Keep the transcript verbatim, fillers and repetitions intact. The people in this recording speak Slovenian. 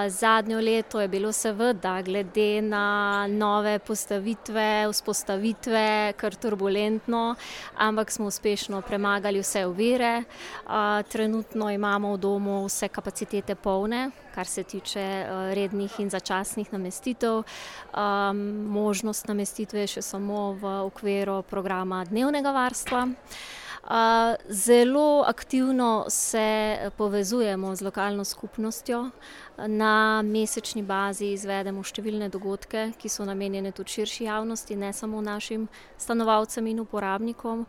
Zadnjo leto je bilo seveda glede na nove postavitve, vzpostavitve kar turbulentno, ampak smo uspešno premagali vse ovire. Trenutno imamo v domu vse kapacitete polne, kar se tiče rednih in začasnih namestitev. Možnost namestitve je še samo v okviru programa dnevnega varstva. Zelo aktivno se povezujemo z lokalno skupnostjo. Na mesečni bazi izvedemo številne dogodke, ki so namenjene tudi širši javnosti, ne samo našim stanovalcem in uporabnikom.